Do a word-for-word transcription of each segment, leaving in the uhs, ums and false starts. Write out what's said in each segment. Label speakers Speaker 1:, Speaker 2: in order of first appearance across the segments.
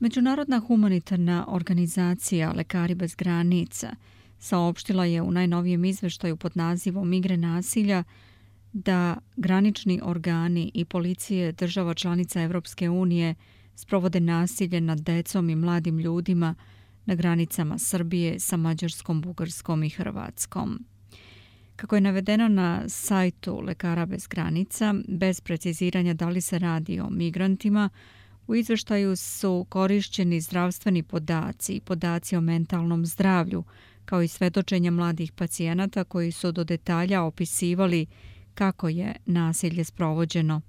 Speaker 1: Međunarodna humanitarna organizacija Lekari bez granica saopštila je u najnovijem izveštaju pod nazivom Igre nasilja da granični organi i policije država članica Evropske unije sprovode nasilje nad decom i mladim ljudima na granicama Srbije sa Mađarskom, Bugarskom i Hrvatskom. Kako je navedeno na sajtu Lekara bez granica, bez preciziranja da li se radi o migrantima, u izveštaju su korišćeni zdravstveni podaci i podaci o mentalnom zdravlju, kao i svedočenja mladih pacijenata koji su do detalja opisivali kako je nasilje sprovođeno.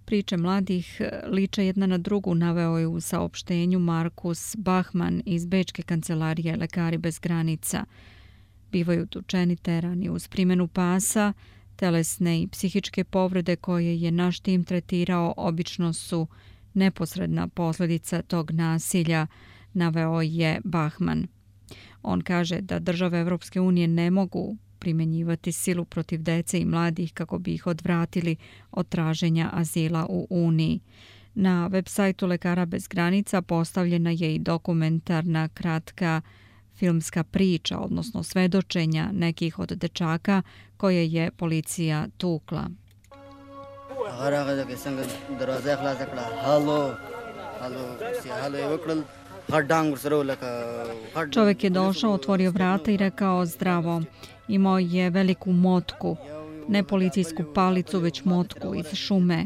Speaker 1: Priče mladih liče jedna na drugu, naveo je u saopštenju Markus Bachmann iz Bečke kancelarije Lekari bez granica. Bivaju tučeni, terani uz primjenu pasa, telesne i psihičke povrede koje je naš tim tretirao obično su neposredna posljedica tog nasilja, naveo je Bachmann. On kaže da države Evropske unije ne mogu primjenjivati silu protiv dece i mladih kako bi ih odvratili od traženja azila u Uniji. Na web sajtu Lekara bez granica postavljena je i dokumentarna kratka filmska priča, odnosno svedočenja nekih od dečaka koje je policija tukla. Čovjek je došao, otvorio vrata i rekao zdravo. Imao je veliku motku, ne policijsku palicu, već motku iz šume.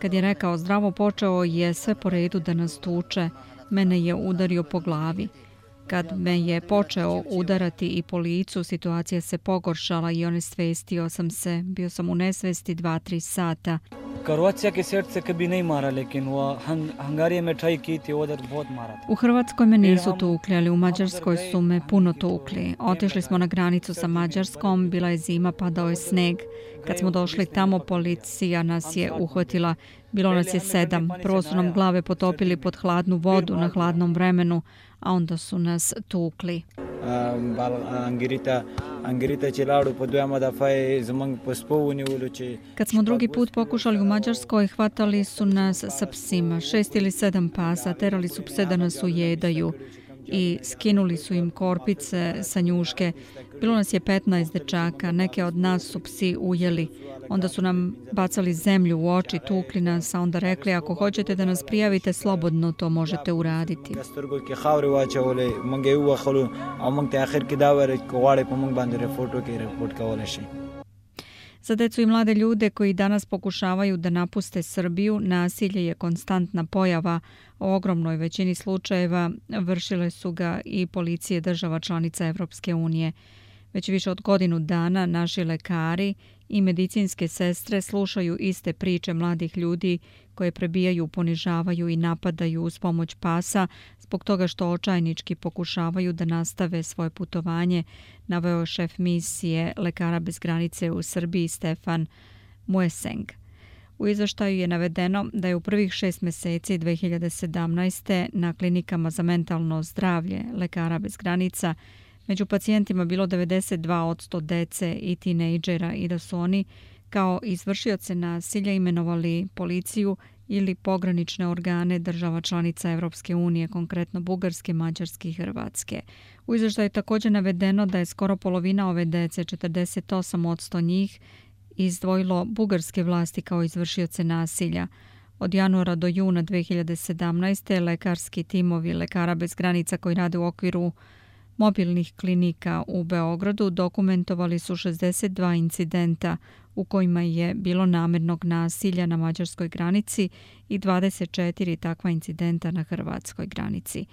Speaker 1: Kad je rekao zdravo, počeo je sve po redu da nas tuče. Mene je udario po glavi. Kad me je počeo udarati i po licu, situacija se pogoršala i onesvestio sam se. Bio sam u nesvesti dva, tri sata. U Hrvatskoj me nisu tukli, ali u Mađarskoj su me puno tukli. Otišli smo na granicu sa Mađarskom, bila je zima, padao je sneg. Kad smo došli tamo, policija nas je uhvatila. Bilo nas je sedam. Prvo su nam glave potopili pod hladnu vodu na hladnom vremenu, a onda su nas tukli. Kad smo drugi put pokušali u Mađarskoj, hvatali su nas sa psima, šest ili sedam pasa, terali su pse da nas ujedaju i skinuli su im korpice sa njuške. Bilo nas je petnaest dečaka, neke od nas su psi ujeli. Onda su nam bacali zemlju u oči, tukli nas, a onda rekli ako hoćete da nas prijavite, slobodno to možete uraditi. Za decu i mlade ljude koji danas pokušavaju da napuste Srbiju, nasilje je konstantna pojava. U ogromnoj većini slučajeva vršile su ga i policije država članica Evropske unije. Već više od godinu dana naši lekari i medicinske sestre slušaju iste priče mladih ljudi koje prebijaju, ponižavaju i napadaju uz pomoć pasa zbog toga što očajnički pokušavaju da nastave svoje putovanje, naveo šef misije Lekara bez granice u Srbiji Stefan Mueseng. U izveštaju je navedeno da je u prvih šest mjeseci dve hiljade sedamnaeste. na klinikama za mentalno zdravlje Lekara bez granica među pacijentima bilo devedeset dva posto dece i tinejdžera i da su oni kao izvršioce nasilja imenovali policiju ili pogranične organe država članica Evropske unije, konkretno Bugarske, Mađarske i Hrvatske. U izveštaju je također navedeno da je skoro polovina ove dece, četrdeset osam posto njih, izdvojilo bugarske vlasti kao izvršioce nasilja. Od januara do juna dve hiljade sedamnaeste. lekarski timovi Lekara bez granica koji rade u okviru mobilnih klinika u Beogradu dokumentovali su šezdeset dva incidenta u kojima je bilo namernog nasilja na mađarskoj granici i dvadeset četiri takva incidenta na hrvatskoj granici.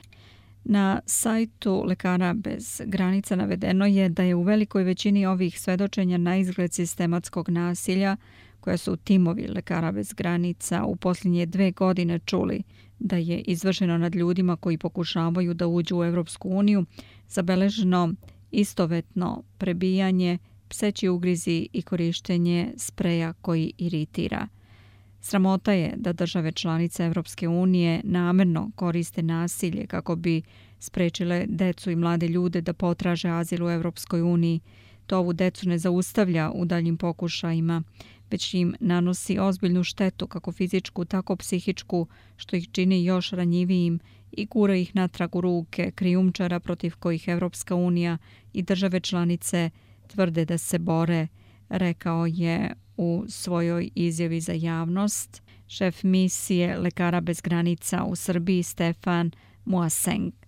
Speaker 1: Na sajtu Lekara bez granica navedeno je da je u velikoj većini ovih svedočenja na izgled sistematskog nasilja koja su timovi Lekara bez granica u posljednje dve godine čuli da je izvršeno nad ljudima koji pokušavaju da uđu u Evropsku uniju, zabeleženo istovetno prebijanje, pseći ugrizi i korištenje spreja koji iritira. Sramota je da države članice Evropske unije namerno koriste nasilje kako bi sprečile decu i mlade ljude da potraže azil u Evropskoj uniji. To ovu decu ne zaustavlja u daljim pokušajima, već im nanosi ozbiljnu štetu, kako fizičku, tako psihičku, što ih čini još ranjivijim i gura ih natrag u ruke krijumčara protiv kojih Evropska unija i države članice tvrde da se bore, rekao je u svojoj izjavi za javnost šef misije Lekara bez granica u Srbiji Stefan Muaseng.